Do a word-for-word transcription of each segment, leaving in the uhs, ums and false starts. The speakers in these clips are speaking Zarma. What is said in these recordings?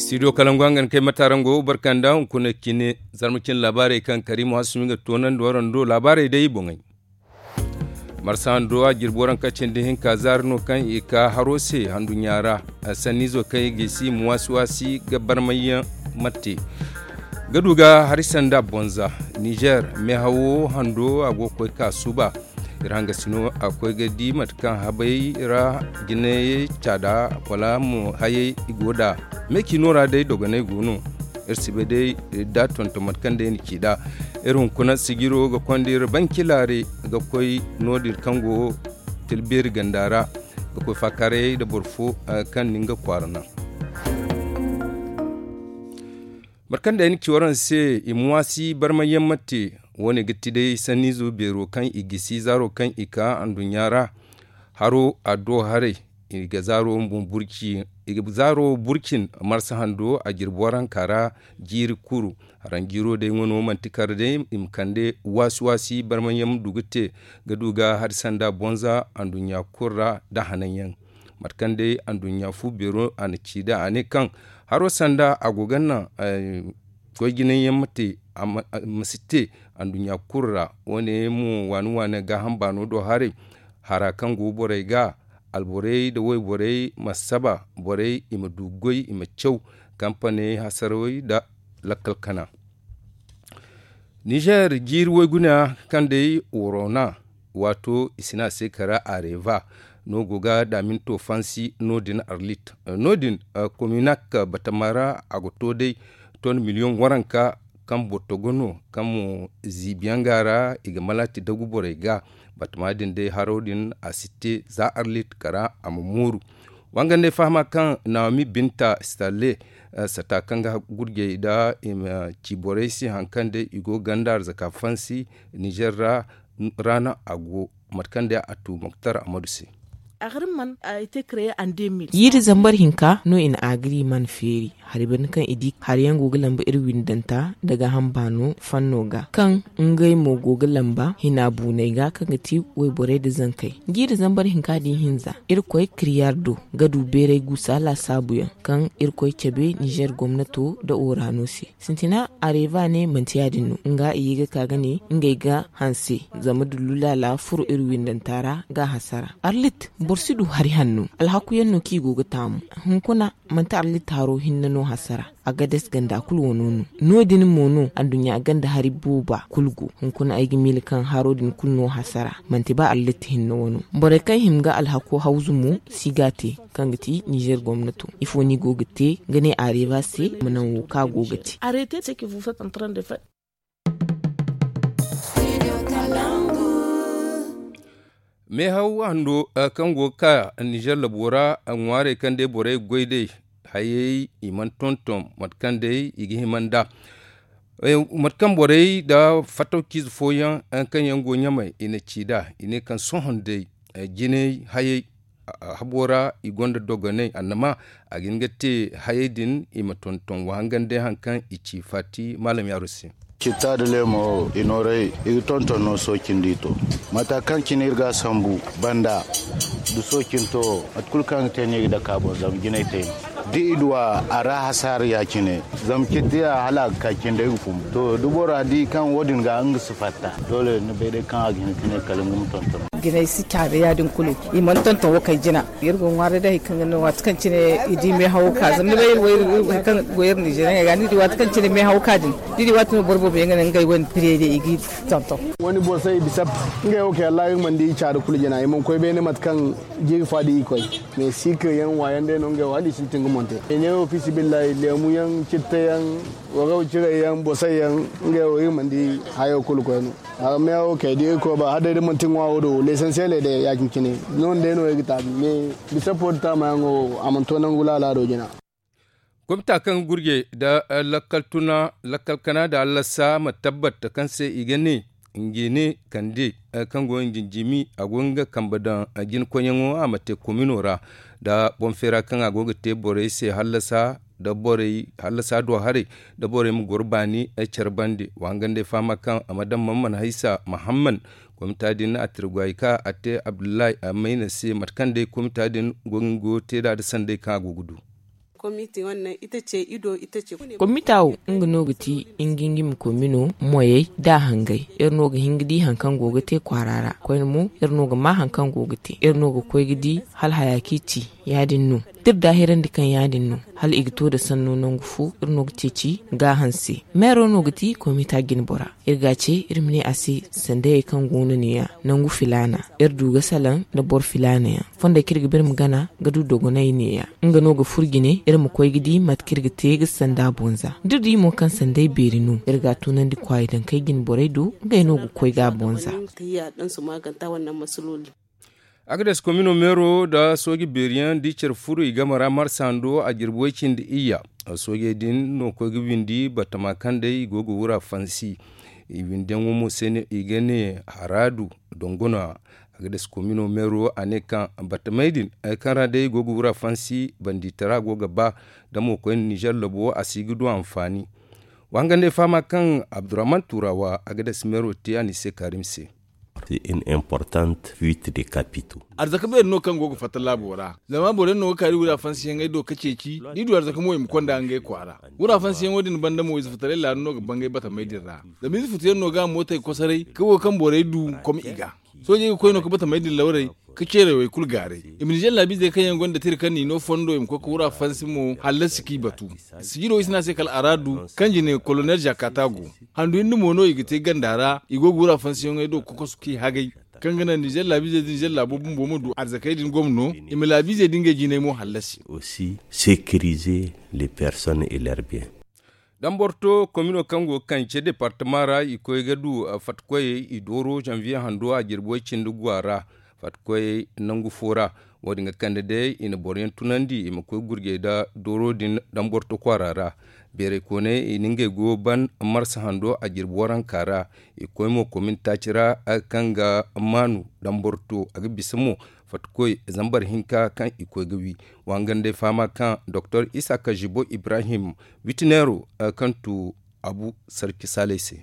Studio kalangu hangan kay matarango barkanda hunkuna cine. Zarma cine laabaarey kaŋ karimu hasumi ga toonandi warando laabaarey day boŋey. Marsa hando a jirbi waranka cindi hinka zaari no kaŋ i ka haro se handuɲɲa ra. Sanniizo kaŋ i gisi i ma waasi waasi ga barmayyaŋ mate ga du ga hari sanda bonza. Nizer meehawo hando a go ga koy ka suuba. Iri hangasino a koy ga di mate kaŋ habay ra jinayey caada wala mo hayey i go da me cino ra day dogonay go no. Iri si bay day da tonton mate kaŋ day na ci da iri hunkuna sijiro ga konda iri banci laare ga koy noodin kaŋ go tilbeeri ganda ra ga koy faakaarayey nda boro fo kaŋ na nga kwaara naŋ. Mate kaŋ day na ci waraŋ se i ma waasi barmayyaŋ ma te. Wo- ne ga ti day sanniizo beero kaŋ i gisi zaaro kaŋ i ka anduɲɲa ra. Haro a do haray i ga zaaro burcin marsa hando a jirbi waranka ra. Jiiri kuru haranjiiro day ŋwa no manti kar day i ma kande waasi waasi barmayyaŋ ma du ga te ga du ga hari sanda bonza anduɲɲa kulu ra nda hananyaŋ. Mate kaŋ day anduɲɲa fu beero a na ci da a ne kaŋ haro sanda a go ga naŋ goy jinayyaŋ ma te. Ma si te anduɲɲa kulu ra. Wo- ne mo waani waani gaaham baano do haray hara kaŋ go borey ga alborey nda wayborey ma saba borey i ma du goy i ma caw kampaney hasarawey nda lakkal kana. Nizer jiiri wayguna kaŋ day worona waato i si ne a se kara areva no go ga daaminto fansi no- din arlit no- din kominak batama ra a ga to day ton miliyoŋ waranka kaŋ boro togo no kaŋ mo ziibiyaŋ ga ra i ga malaati dagu borey ga. Batama din day haro din a si te za arlit kara a ma mooru. Wangandey fahama kaŋ nawomi binta stalle sata kaŋ ga gurjey nda i ma ci borey se hari kaŋ day i go ganda arzaka fansi nizer ra. Ra no a go mate kaŋ day a tu moktar amadu se. Jiiri zambar hinka no i na agriman feeri hari banda kaŋ i di hari yaŋ go ga lamba iri windanta nda gaaham baano fanno ga kaŋ ngey mo go ga lamba hina buunay ga kaŋ ga ti wayborey nda zankey. Jiiri zambar hinka da ihinza irkoy kiryar do ga du beeray guusa laasaabuyaŋ kaŋ irkoy cabe nizer gomnato nda orano se. Sintina areva ne manti ya- din no nga i ye ga ka ga ne ngey ga hanse zama dullu laala furo iri windanta ra ga a hasara. Arlit boro si du hari hanno alhakuyaŋ no kaŋ i go ga taamu. Hunkuna manti arlit haro hinne no hasara. Agades ganda kulu wano no. No- din mo no anduɲɲa ganda hari booba kulu go. Hunkuna ay ga miila kaŋ haro din kulu no hasara manti ba arlit hinne wano. Borey kaŋ hima ga alhako hawzu mo si ga a te kaŋ ga ti nizer gomnato ifo no i go ga te ga ne areva se ma naŋ wo kaŋ a go ga te. Meehaw hando kaŋ go ga ka nizer labo ra ŋwaarey kaŋ day borey ga goy day hayey i mana tonton mate kaŋ day i ga hima nd'a. Mate kaŋ borey nda fattawciize fooyaŋ kaŋ yaŋ go ɲamey i na ci nd'a i ne kaŋ sohõ day jinay hayey habo ra i gonda dogonay annama a ga hin ga te hayey din i ma tonton wa hangan day hari kaŋ i ci faati maalam yaaru se. Citta nda leemo i nooray i ga tonton no soocindi to mata kaŋ cine iri ga a sambu banda da soocinto mate kulu kaŋ ga te no i ga dake a boŋ zama jinay te no da i du a ra hasaara ya- cine. Zama citti ya hala a ga ka cindi ay ga fumbu to da bora di kaŋ wo- din ga nga si fatta doole ni bay day kaŋ a ga hin ga ne kala nga ma tonton. Jinay si caada ya- din kulu i mana tonton wo kay jina. Iri go ŋwaaray day hari kaŋ ga no waati kaŋ cine i di meehawo ka zama ni bay iri wo iri kaŋ go iri nizeeriyaŋey ga ni di waati kaŋ cine meehawo ka din ni di waati no boro boobo yaŋ ga ne ngey wane pire day i ga i tonton. Wane bosay bisap ngey wo kay allah iri mana di caada kulu jina i mana koy beene mate kaŋ jiiri fa da i koy. Mais sikir yaŋ wayaŋ day no ngey wo hala i sintin ga monte. Ine wo fisibillahi leemu yaŋ citta yaŋ waraw ciray yaŋ bosay yaŋ ngey wo iri mana di hayo kulu koyne. Arme wo kay da irkoy ba hala day da manti ŋwaaro do lesansiyeeley day ya- cine no- din day no iri ga taabi mais bisa fo da taamayaŋo wo a mana to nangu laala do jina. Komita kaŋ ga gurje nda lakkal tuna lakkal kana nda allasa ma tabbat kaŋ se i ga ne ngi ne kande kaŋ go ngi jimi a go nga kambe daŋ jinkoyyaŋo a ma te komino ra nda boŋ feera kaŋ a go ga te borey se hallasa nda borey hallasa do haray nda borey ma goro baani care bande wa hangandey fahama kaŋ a ma daŋ man mana haysa mahamman. Komita din a tirgwayi ka a te abdullahi a mayna se mate kaŋ day komita din go nga go te nd'a nda sanday kaŋ a go ga du. Komita wo nga no ga ti, ngingimi komino moyey da hangay. Iri no ga hin ga di hari kaŋ go ga te kwaara ra koyne mo, iri no ga ma hari kaŋ go ga te, iri no ga koy ga di hala haya kaŋ i ci. Ya- din no da iri daahirandi kaŋ ya- din no, hala i ga to nda sanno nangu fo, iri no ga ceeci gaaham se. Meero no ga ti komita jinbora. Iri ga a ce iri ma ne a se, sandayey kaŋ go no neeya, nangu filaana iri du ga salaŋ nda boro filaana yaŋ. Fondey kaŋ iri ga ba iri ma gana ga du dogonay neeya. Nga no ga furo jine iri ma koy ga di mate kaŋ iri ga te ga sanda bonza. Da iri di mo kaŋ sanday beeri no, iri ga a tunandi kwaayi dankey jine borey do, ngey no ga koy ga a bonza. Agades komino meero nda sooji beeri yaŋ da i care furo i game ra marsa hando a jirbi way cindi iyya. Soojey din no koy ga windi batama kaŋ day i go ga wura fansi. I windiyaŋo mo se no i ga ne haraadu dongona. Agades komino meero a ne kaŋ batamey din kaŋ ra day i go ga wura fansi, banditara go ga ba da mo koyne nizer labo a si ga du anfaani. Wa hangan day fahama kaŋ abdurrahman turawa agades meero te a n'i se kaarim se. Une importante fuite de capitaux. Arzaka beeri no kaŋ go ga fatta laabo ra, zama boro yaŋ no ga kaari wura fansiyaŋey do ka ceeci da i du arzaka mo i ma konda ngey kwaara. Wura fansiyaŋo din banda mo ize fataray laanu no ga bangay batamey din ra, zama ize futu yaŋ no ga mootey kosoray ka wo kaŋ borey du kom i ga. Soojey ga koy no ka batamey din lawray ka ceeray way kulu gaaray. I ma nizer laabiizey kaŋ yaŋ gonda tira kaŋ n'i no fondo i ma koy ka wura fansi mo hallasi k'i batu. Sijiro i si ne a se kala araadu kaŋ jine kolonel jakata go. Handu hinne mo no i ga te ganda ra, i go ga wura fansiyaŋey do kokosu k'i hagay. Kaŋ ga naŋ nizer laabiizey da nizer laabo bumbo ma du arzakey din gomno, i ma laabiizey da ngey jinay mo hallasi. Aussi sécuriser les personnes et leurs biens. Damborto komino kaŋ go ga kance departama ra i koy ga du fattakoyey i dooro zanviye hando a jirbi way cindi guwa ra. Fattakoyey nangu fo ra. Wo- din ga kande day i na boro yaŋ tunandi i ma koy gurjey nda dooro din damborto kwaara ra. Beerey kooney i na ngey go ban marsa hando a jirbi waranka ra. I koy mo komin taaci ra kaŋ ga maanu damborto a ga bisa mo fattakoy zambar hinka kaŋ i koy ga wi. Wa hangan day fahama kaŋ doktor isaka jibo ibrahim witineero kaŋ tu abu sarki saaley se.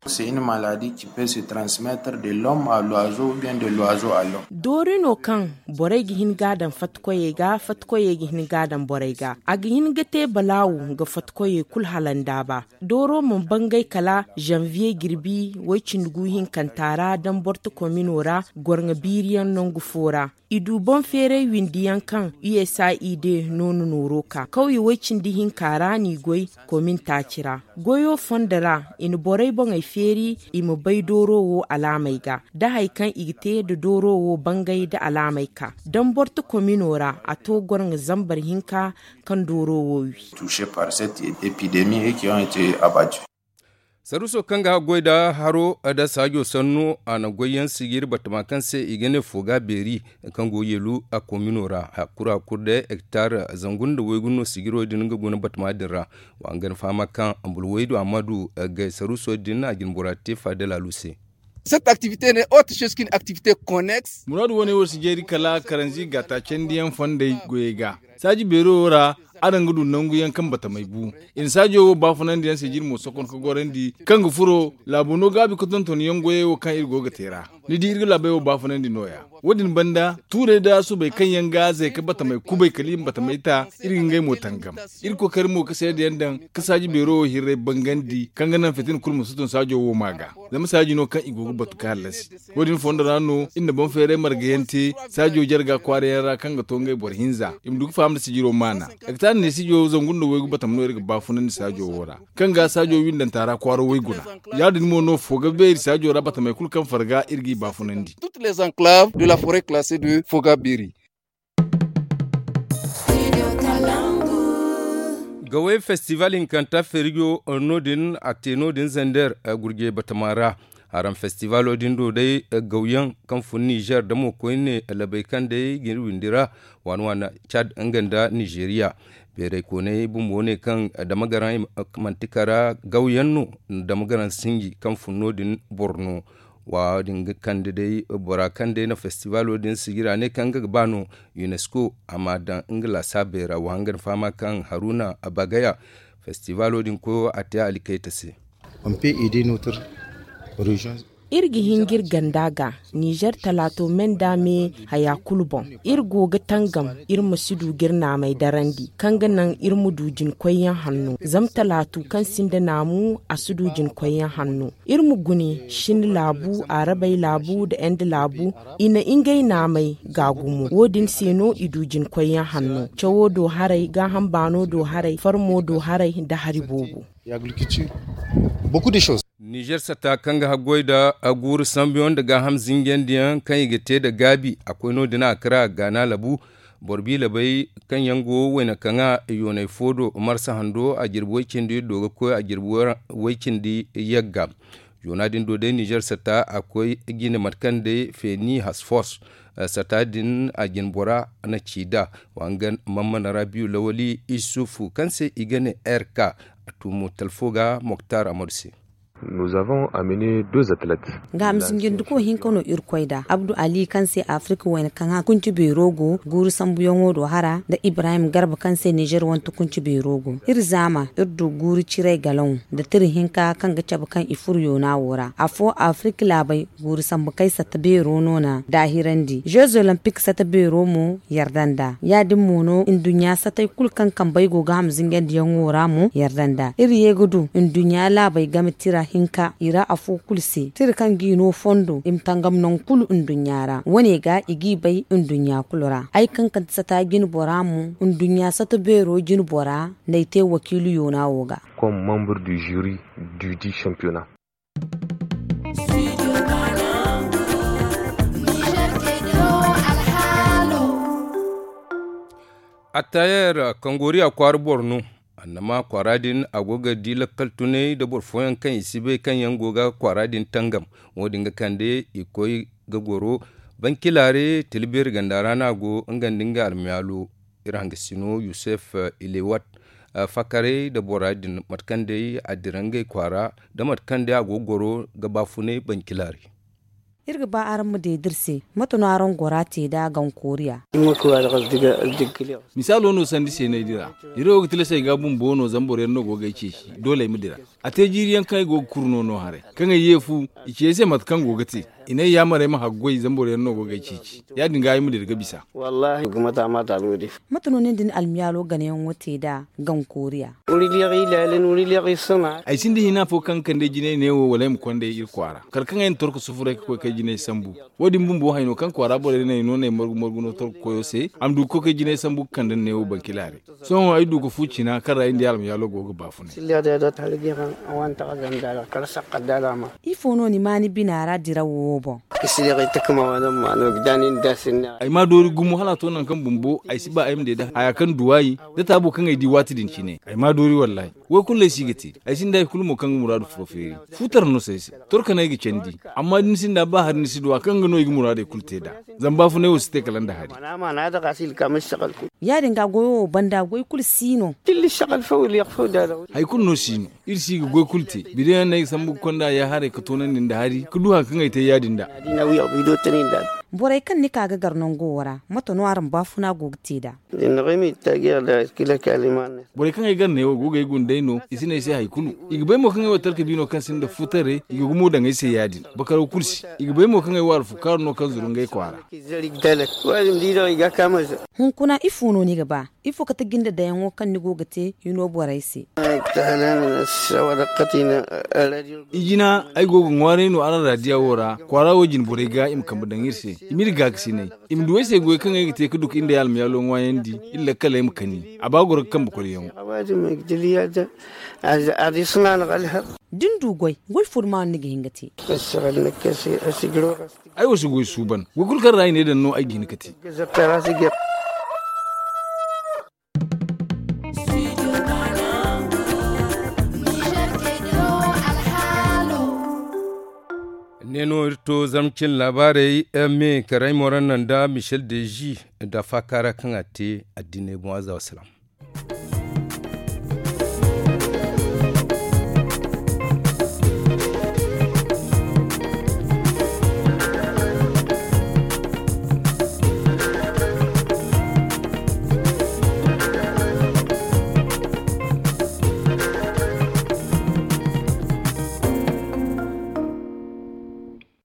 C'est une maladie qui peut se transmettre de l'homme à l'oiseau ou bien de l'oiseau à l'homme. Doori no kaŋ borey ga hin ga a daŋ fattakoyey ga fattakoyey ga hin ga a daŋ borey ga a ga hin ga te balaawu ga fattakoyey kulu hala nda a ba. Dooro mana bangay kala zanviye jirbi way cindi gu hinkanta ra damborto komino ra gorŋa biiriyaŋ nangu fo ra. I du boŋ feeray windiyaŋ kaŋ usaid no na nooro ka kawye way cindi hinka ra n'i goy komin taaci ra. Goyo fondo ra i na borey boŋey feeri i ma bay dooro wo alaamey ga da hari kaŋ i ga te nda dooro wo bangay nda alaamey ka damborto komino ra a to gorŋa zambar hinka kaŋ dooro wo wi. Touchés par cette épidémie et qui ont été abattus. Saruuso kaŋ ga goy nda haro nda saajo sanno a na goyyaŋ sijiri batama kaŋ se i ga ne fooga beeri kaŋ go yeelu a komino ra. Hakura kulu day hektar zangu nda waygu no sijiro din ga guna batama din ra. Wa nga ni fahama kaŋ ambulwaydu amadu gay saruuso din a jine bora te faada laalu se. Cette activité n'est autre chose qu'une activité connexe. Muraadu wane wo si jeeri kala karanzi gata candiyaŋ fondey goyey ga. Saaji beero wo ra araŋ ga du nangu yaŋ kaŋ batamey bu. I na saajo wo baafunandi yaŋ se jiri mo sokon ka gorandi kaŋ ga furo laabo no gaabi ka tonton yaŋ goyey wo kaŋ iri go ga te ra. Ni di iri ga laabey wo baafunandi no- ya. Wo- din banda tuurey nda subey kaŋ yaŋ ga zay ka batamey kubay kala i ma batamey ta iri ga ngey mo tangam. Iri kookari mo ka seedayaŋ daŋ ka saaji beero wo hirray bangandi kaŋ ga naŋ fitina kulu ma si tun saajo wo ma ga. Zama saaji no kaŋ i go ga batu ka hallasi. Wo- din fondo ra no iri na boŋ feeray margayaŋ te saajo jarga kwaarayaŋ ra kaŋ ga to ngey boro hinza i ma du ga faham nda sijiro maana. Hektar ne sijo zangu nda waygu batama no iri ga baafunandi saajo wo ra kaŋ ga saajo windanta ra kwaaro wayguna. Ya- din mo no fooga beeri saajo ra batamey kulu kaŋ farga iri g'i baafunandi. Toutes les enclaves de la forêt classée de foga beeri. Gawey festival hinkanta feerijo no- din a te no- din zander gurje batama ra. Haram festivalo din do day gawyaŋ kaŋ fun nizer da mo koyne labey kaŋ day ga iri windi ra waani waani cad nga nda nizeriya. Beeray kooney bumbo ne kaŋ damagaraŋ manti kara gawyaŋ no. Damagaraŋ sinji kaŋ fun no- din borno. Wa- din ga kande day bora kaŋ day na festivalo din sijira ne kaŋ nga ga ba no unesco a ma daŋ nga laasaabey ra wa nga ni fahama kaŋ haruna abagaya festivalo din koyo a te a likayta se. On peut aider notre région. Iri ga hin ga iri ganda ga nizer talaato me nda me haya kulu boŋ. Iri go ga tangam iri ma si du ga iri naamey darandi kaŋ ga naŋ iri ma du jinkoyyaŋ hanno. Zama talaatu kaŋ sinda naamu a si du jinkoyyaŋ hanno. Iri ma gune shin laabu, arabey laabu nda ende laabu, i na ngey naamey gaagu mo. Wo- din se no i du jinkoyyaŋ hanno, cawo do haray, gaaham baano do haray, farmo do haray nda hari boobo. Nizer sata kaŋ ga haggoy nda guuru sambuyaŋ nda gaaham zinjandiyaŋ kaŋ i ga te nda gaabi a koy no- din a kara gaana labu. Boro biila bay kaŋ yaŋ go wayna kaŋa yoonay fo do marsa hando a jirbi way-cindi do ga koy a jirbi way-cindi yagga. Yoona din do day nizer sata a koy jine mate kaŋ day feeni hasfors sata din a jine bora na ci nd'a. Wa nga mammana rabiyu lawali isufu kaŋ se i ga ne rk a tumo talfo ga moktar amadu se. Gaaham zinjandiko hinka no iri koy nd'a abdu ali kaŋ se afirka wayna kaŋ a kunci beero go guuru sambuyaŋo do hara nda ibrahim garba kaŋ se nizer wante kunci beero go. Iri zaama iri du guuru ciray galaŋo nda tira hinka kaŋ ga cabe kaŋ i furo yoona wo ra afo afirka laabey guuru sambu kay satta beero no na daahirandi jeux olympique satta beero mo yarda nd'a ya- din mo no nduɲɲa satey kulu kaŋ kambey go ga ham zingandiyaŋo ra mo yarda nd'a iri ye ga du nduɲɲa laabey game tira hinka i ra afo kulu se tira kaŋ g'i no fondo i ma tangam nangu kulu nduɲɲa ra wo- ne ga i g'i bay nduɲɲa kulu ra ay kaŋ kande sata jine bora mo nduɲɲa satta beero jine bora n'ay te wakiilu yoona wo ga. Comme membre du jury du dit championnat. Attayer kangoriya kwaara boro no. Annama kwaara din a go ga di lakkal tunay nda boro fooyaŋ kaŋ i si bay kaŋ yaŋ go ga kwaara din tangam. Wo- din ga kande i koy ga goro bankilaare tila beeri ganda ra no a go nga nda nga almayaalo. Iri hangasino yusuf ilewat fakarey nda bora din mate kaŋ day a dira ngey kwaara nda mate kaŋ day a go ga goro ga baafunay bankilaare. Iri ga ba araŋ ma deed'iri se mate no araŋ gora te nd'a gankooriya. Misaalo no sandi seenaydi ra. Iri wo ga tilasay ga bumbo no zama boro yaŋ no go ga ay ceeci doole ay ma dira. A te jiiri yaŋ kaŋ ay go ga kuru no no haray kaŋ ay ye fu i ci ay se mate kaŋ go ga te. I ne ay yaamar ay ma haggoy zama boro yaŋ no go ga ay ceeci ya- din ga ay ma dira ga bisa. Mate no nin da ni almiyaalo ganayaŋo te nd'a gankooriya? Ay sinda hina fo kaŋ ga kande ay jinay neewo wala ay ma konda iri kwaara kala kaŋ ay na torko sufuray ga koy kay jinay sambu. Wo- din bumbo hayno kaŋ kwaara borey no ay no no ay margu margu no torko koyo se a ma du ga koy kay jinay sambu ga kande neewo bankilaare. Sohõ ay du ga fu cina kaŋ ra ay nda ay almayaalo go ga baafunay. Ifo no ni ma ni bina ra dirawo wo boŋ? Ay ma doori gumo hala a to nangu kaŋ bumbo ay si ba ay ma de da haya kaŋ duwaayi da taabo kaŋ ay di waati din cine ay ma doori wallaahi. Wo- kulu no ay si ga te. Ay sinda hari kulu mo kaŋ ga muraadu furo feeri. Futar no se ay se. Torkanay ga candi. Amma da ni sinda ba hari ni si du a kaŋ ga no i ga muraadey kulu te nd'a. Zama baafunay wo si te kala nda hari. Ya- din ga goyo wo banda goy kulu si no. Hari kulu no si no. Iri si ga goy kulu te bideyaŋ no ay ga sambu ga konda ya haray ga toonandi nda hari ga du hari kaŋ ay te ya- din nd'a. Borey kaŋ ni ka ga gar nango wo ra mate no araŋ baafuna go ga te nd'a? Borey kaŋ ay gar neewo go ga ay gundey no i si ne ay se hari kulu. I ga bay mo kaŋ ay wo talka bi no kaŋ sinda futarey i ga gumo daŋ ay se ya- din. Bakaraw kulu se i ga bay mo kaŋ ay wo alfukaaru no kaŋ zuru ngey kwaara. Hunkuna ifo no ni ga ba? Ifo kate jinde dayaŋo kaŋ ni go ga te hino borey se? Ijina ay go ga ŋwaaray no araŋ raadiya wo ra kwaara wo jine borey ga i ma kambe daŋ iri se. I m'iri gaakasinay. I ma du ay se goy kaŋ ay ga te ga du ga iri nda ay almayaalo ŋwaayandi. Iri lakkaley ma kani a ba goro ga kambe koriyaŋo. Da ni du goy goy fo duma no ni ga hin ga te? Ay wo si goy suuban. Goy kulu kaŋ ra i ne daŋ no ay ga hin ga te. Ne no iri to zama cin laabaarey me karay moranna nda michel dezi nda faakaara kaŋ a te addiney boŋ aza wasalaam.